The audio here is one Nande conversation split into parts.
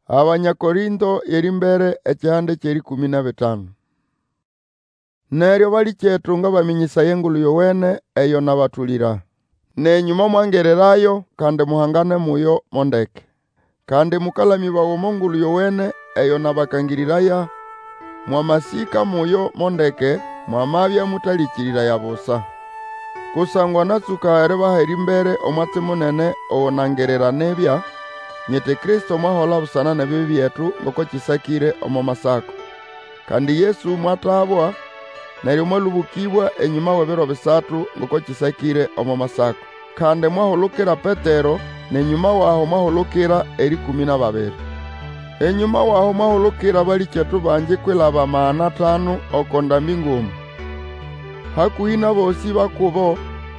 Abanya Korĩnto y'erĩmbere ekihande ky'erĩkũmĩ n'ebitanu. Neryo balĩkyetu, ngabamĩnyĩsaya Engulu Yowene eyo nabatũlĩra. Nenyũ momwangirirayo, kandi muhangane muyo mo ndeke. Kandi mũkalamĩbawa omo Ngulu Yowene eyo nabakangĩrĩraya, mwamasĩka muyo mo ndeke, mwamabya mũtalĩkĩrĩraya busa. Kusangwa natsũka eribaha erĩmbere omwatsi munene ogo nangirira nibya, nyiti Kristo mwahola busana n'ebibi byetu ngoko kĩsakĩre omo Masako. Kandi Yesu mwatabwa, neryo mwalũbũkĩbwa enyũma w'ebiro bisatu, ngoko kĩsakĩre omo Masako. Kandi mwahulukira Petero, n'enyũma w'aho mwahulukira erĩkũmĩ n'ababiri. Enyũma w'aho mwahulukira abalĩkyetu bangi kwilaba 500 oko ndambĩ nguma. Hakũhĩ n'abosĩ ba kubo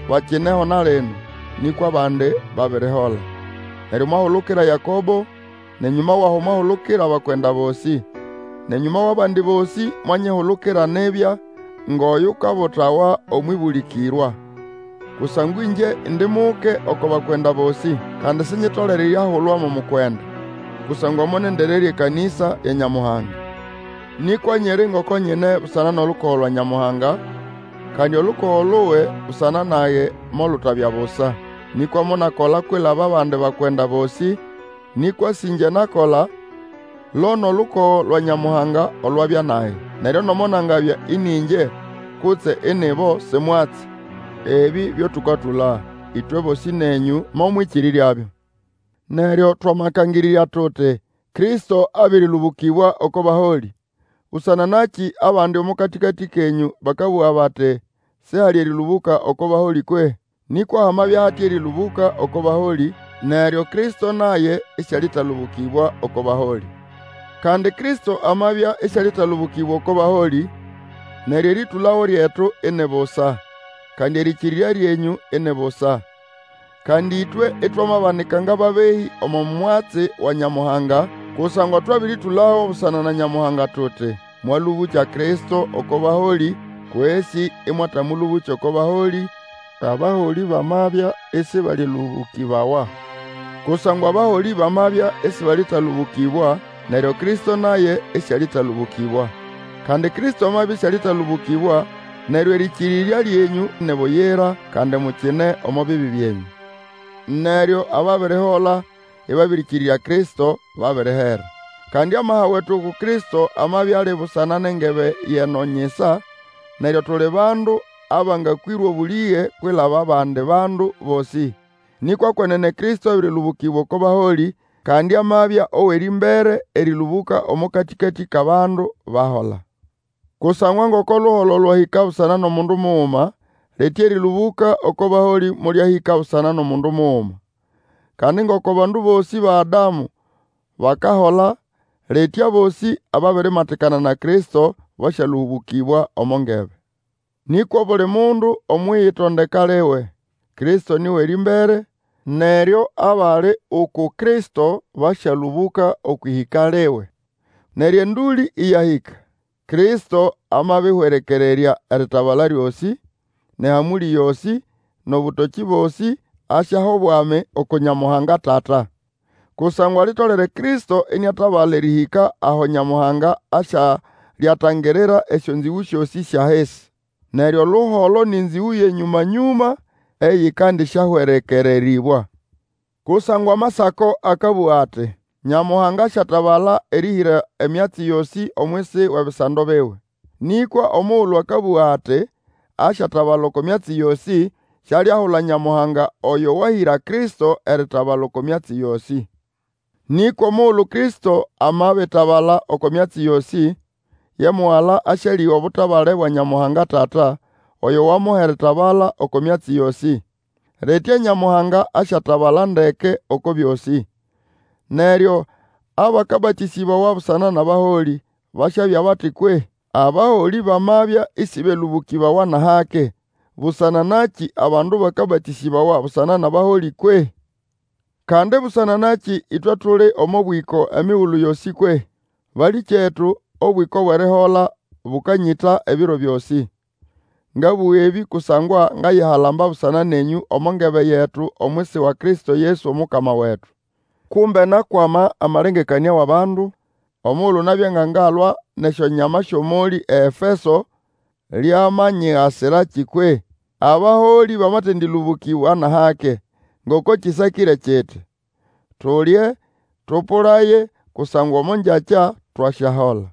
bakineho na lino, nĩkwa abandi babirihola. Neryo mwahulukira Yakobo, n'enyũma w'aho mwahulukira abakwenda bosĩ. N'enyũma w'abandi bosĩ mwanyihulukira nibya, ng'oyukabutawa omw'ĩbũlĩkĩrwa. Kusangwa ĩngye indi muke oko bakwenda bosĩ, kandi sinyitolere eriahulwa mo mukwenda, kusangwa monendererya ekanĩsa ya Nyamuhanga. Nĩkwa nyiri ngoko nyine busana n'olukogo lwa Nyamuhanga, kandi olukogo luwe busana nage molutabya busa. Nĩkwa monakola kwilaba abandi bakwenda bosĩ, nĩkwa sĩ ĩngye nakola, lo n'olukogo lwa Nyamuhanga olwabya nage. Neryo nomo nangabya ĩnĩ ĩngye kutse ini bo, si mwatsi. Ebĩ byo tũkatũla, ĩtwe bosĩ nenyũ momwĩkĩrĩryabyo. Neryo twamakangĩrĩrya tuti, Kristo abĩrĩlũbũkĩbwa oko baholĩ, busana nakĩ abandi omo katĩkatĩ kenyũ bakabũga bati, Sihali erĩlũbũka oko baholĩ kwehĩ? Nĩkwa hamabya hati erĩlũbũka oko baholĩ, neryo Kristo naye isialĩtalũbũkĩbwa oko baholĩ. Kandi Kristo amabya isialĩtalũbũkĩbwa oko baholĩ, neryo erĩtũlago lyetu ini busa, kandi erĩkĩrĩrya lyenyũ ini busa. Kandi ĩtwe itwamabanika ng'ababehĩ omo mwatsi wa Nyamuhanga, kusangwa twabĩrĩtũlago busana na Nyamuhanga tuti, mwalũbũkya Kristo oko baholĩ, kwesĩ ĩmwatamũlũbũkya oko baholĩ, abaholĩ bamabya isibalĩlũbũkĩbawa. Kusangwa abaholĩ bamabya isibalĩtalũbũkĩbwa, neryo Kristo naye isialĩtalũbũkĩbwa. Kandi Kristo amabya isialĩtalũbũkĩbwa, neryo erĩkĩrĩrya lyenyũ ni buyira, kandi mukine omo bibi byenyũ. Neryo ababirihola ĩbabĩrĩkĩrĩrya Kristo, babirihera. Kandi amaha wetu uku Kristo amabya ali busana n'engebe y'eno nyisa, neryo tuli bandu abangakwĩrwa obũlĩge kwilaba abandi bandu bosĩ. Nĩkwa kwenene Kristo abĩrĩlũbũkĩbwa oko baholĩ, kandi amabya ow'erĩmbere erĩlũbũka omo katĩkatĩ k'abandu bahola. Kusangwa ngoko oluholo lwahĩka busana n'omundu muguma, litya erĩlũbũka oko baholĩ molyahĩka busana n'omundu muguma. Kandi ngoko bandu bosĩ ba Adamu bakahola, litya abosĩ ababirimatikana na Kristo basyalũbũkĩbwa omo ngebe. Nĩkwa obuli mundu omw'iyitondeka liwe. Kristo ni w'erĩmbere, neryo abali uku Kristo basyalũbũka okw'ĩhĩka liwe. Neryo endũlĩ ĩyahĩka, Kristo amabĩhwerekererya eritabala lyosĩ, n'ehamũlĩ yosĩ, n'obũtokĩ bosĩ, asyaha obwami uku Nyamuhanga Tata. Kusangwa litolere Kristo iniatabala erĩhĩka aho Nyamuhanga asyalyatangirira esyonzĩgũ syosĩ sy'ahisi. Neryo oluholo nĩ nzĩgũ y'enyũma-nyũma eyĩkandĩsyahwerekererĩbwa. Kusangwa Amasako akabũga ati, Nyamuhanga asyatabala erĩhĩra emyatsi yosĩ omwisi w'ebisando biwe. Nĩkwa omugulu akabũga ati, asyatabala oko myatsi yosĩ, sialiahula Nyamuhanga oyo wahĩra Kristo eritabala oko myatsi yosĩ. Nĩkwa omugulu Kristo amabitabala oko myatsi yosĩ, ye Mugala asyalĩga obutabale bwa Nyamuhanga Tata, oyo wamuha eritabala oko myatsi yosĩ. Litya Nyamuhanga asyatabala ndeke oko byosĩ. Neryo abakabatĩsĩbawa busana n'abaholĩ, basyabya bati kwehĩ? Abaholĩ bamabya ĩsĩbelũbũkĩbawa n'ahake, busana nakĩ abandu bakabatĩsĩbawa busana n'abaholĩ kwehĩ? Kandi busana nakĩ ĩtwe tuli omo bwĩko emigulu yosĩ kwehĩ? Balĩkyetu, obwĩko bw'erihola bũkanyĩta ebiro byosĩ. Ngabũga ebĩ kusangwa ngayihalamba busana nenyũ omo ngebe yetu omwisi wa Kristo Yesu Omukama wetu. Kumbe nakwama amalengekanĩa w'abandu, omugulu nabya nga ngalwa n'esyonyama sy'omolĩ eEfeso, lyamanyigasiraki kwehĩ? Abaholĩ bamatendĩlũbũkĩbwa n'ahake, ngoko kĩsakĩre kiti, Tulye, tũpũlaye, kusangwa omo ngyakya twasyahola.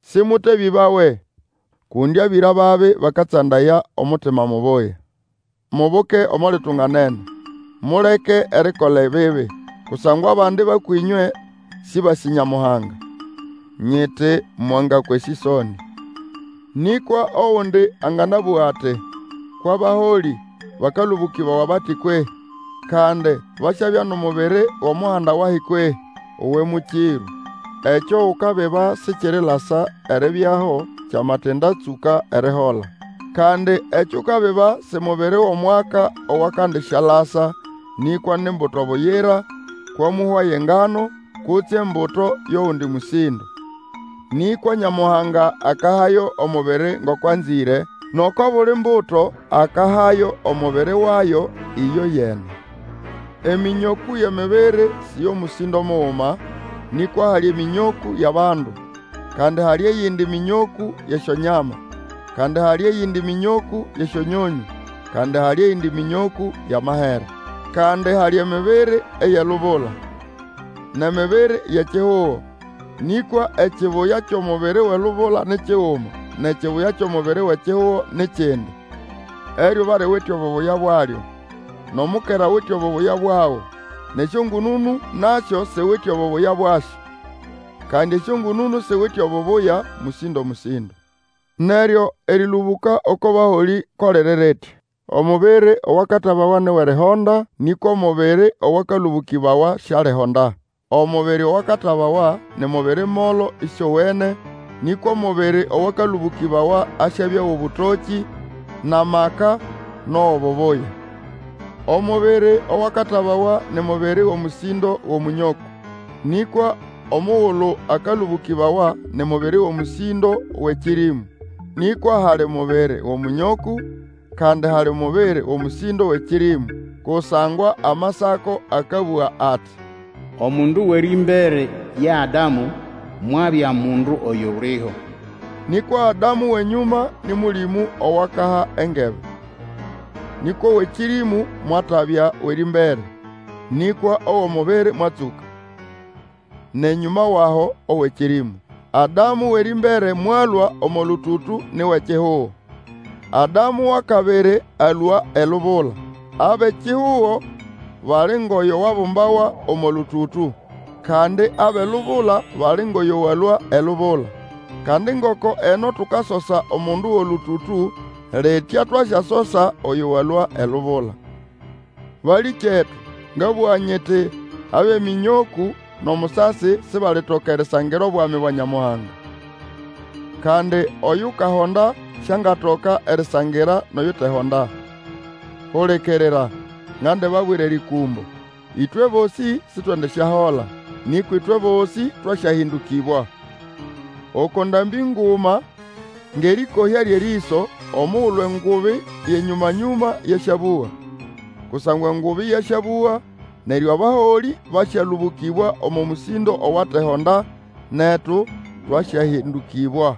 Sĩmũtebĩbawe, kundi abĩra babi bakatsandaya omutima mubuya. Mubuke omo litunganene, muleke erikola ebibi, kusangwa abandi ba kwĩnywe sĩbasĩ Nyamuhanga. Nyiti mwangakwa esĩsonĩ. Nĩkwa ogundi anganabũga ati, Kw'abaholĩ bakalũbũkĩbawa bati kwehĩ? Kandi basyabya n'omubiri w'omuhanda wahi kwehĩ? Uwe mũkĩrũ! Ekyo ukabiba sikirilasa eribyaho kyamatindatsũka erihola. Kandi ekyo ukabiba si mubiri w'omwaka owakandisyalasa, nĩkwa ni mbuto buyira, kw'omũhwa y'engano, kutse embuto y'ogundi mũsĩndo. Nĩkwa Nyamuhanga akahayo omubiri ngoko anzĩre, n'oko buli mbuto akahayo omubiri wayo ĩyoyene. Emĩnyokũ y'emibiri si y'omũsĩndo muguma, nĩkwa hali emĩnyokũ y'abandu, kandi hali eyindi mĩnyokũ y'esyonyama, kandi hali eyindi mĩnyokũ y'esyonyonyũ, kandi hali eyindi mĩnyokũ y'amahere. Kandi hali emibiri ey'elubula, n'emibiri y'ekihugo. Nĩkwa ekibuya ky'omubiri w'elubula ni kiguma, n'ekibuya ky'omubiri w'ekihugo ni kindi. Eryuba liwite obubuya bwalyo, n'omukera awite obubuya bwago, n'esyongũnũnũ nasyo siwite obubuya bwasyo. Kandi esyongũnũnũ siwite obubuya mũsĩndo-mũsĩndo. Neryo erĩlũbũka oko baholĩ ko liri litya: Omubiri owakatabawa ni w'erihonda, nĩkwa omubiri owakalũbũkĩbawa sialihonda. Omubiri owakatabawa ni mubiri molo ĩsĩowene, nĩkwa omubiri owakalũbũkĩbawa asyabya w'obũtokĩ, n'amaka, n'ow'obubuya. Omubiri owakatabawa ni mubiri w'omũsĩndo w'omũnyokũ, nĩkwa omugulu akalũbũkĩbawa ni mubiri w'omũsĩndo w'ekĩrĩmũ. Nĩkwa hali mubiri w'omũnyokũ, kandi hali mubiri w'omũsĩndo w'ekĩrĩmũ. Kusangwa Amasako akabũga ati, Omundu w'erĩmbere ye Adamu, mwabya mundu oyuliho. Nĩkwa Adamu w'enyũma ni Mũlĩmũ owakaha engebe. Nĩkwa ow'ekĩrĩmũ mwatabya w'erĩmbere, nĩkwa ow'omubiri mwatsũka, n'enyũma w'aho ow'ekĩrĩmũ. Adamu w'erĩmbere mwalũa omo lũtũtũ ni w'ekihugo. Adamu w'akabiri alũa elubula. Ab'ekihugo bali ng'oyo wabumbawa omo lũtũtũ, kandi ab'elubula bali ng'oyo walũa elubula. Kandi ngoko eno tukasosa omundu w'olũtũtũ, litya twasyasosa oyo walũa elubula. Balĩkyetu, ngabũga nyiti, ab'emĩnyokũ n'omusasi sibalitoka erisangira obwami bwa Nyamuhanga. Kandi oyukahonda siangatoka erisangira n'oyutehonda. Hulikirira, ngandibabwira erĩkũmbo. Ĩtwe bosĩ sitwendisyahola, nĩkwa ĩtwe bosĩ twasyahĩndũkĩbwa. Oko ndambĩ nguma, ng'erĩkohya ly'erĩso, omugulu engubi y'enyũma-nyũma yasyabũga. Kusangwa engubi yasyabũga, neryo abaholĩ basyalũbũkĩbwa omo mũsĩndo owatehonda, netu twasyahĩndũkĩbwa.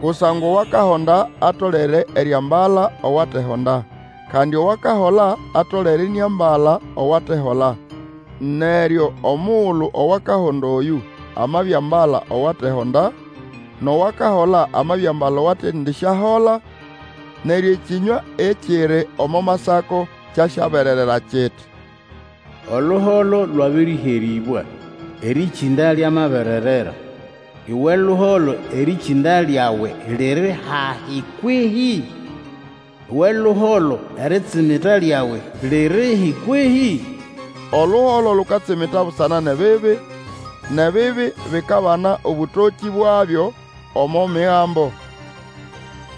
Kusangwa owakahonda atolere eriambala owatehonda, kandi owakahola atolere iniambala owatehola. Neryo omugulu owakahonda oyũ amabiambala owatehonda, n'owakahola amabiambala owatendisyahola, neryo ekĩnywa ekiri omo Masako kyasyabererera kiti, Oluholo lwabĩrĩherĩbwa, erĩkĩnda lyamabererera. Uwe luholo, erĩkĩnda lyawe liri hahi kwehĩ? Uwe luholo, eritsimita lyawe lirihi kwehĩ? Oluholo lukatsimita busana n'ebibi, n'ebibi bikabana obũtokĩ bwabyo omo Migambo.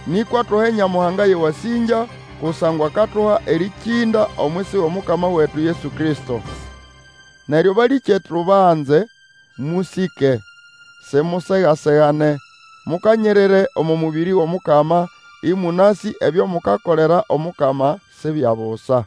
Nĩkwa tuhe Nyamuhanga y'ewasĩngya, kusangwa akatuha erĩkĩnda omwisi w'Omukama wetu Yesu Kristo. Neryo balĩkyetu banze, mũsĩke, simusega-segane, mukanyirire omo mũbĩrĩ w'Omukama, ĩmũnasĩ ebyo mukakolera Omukama si bya busa.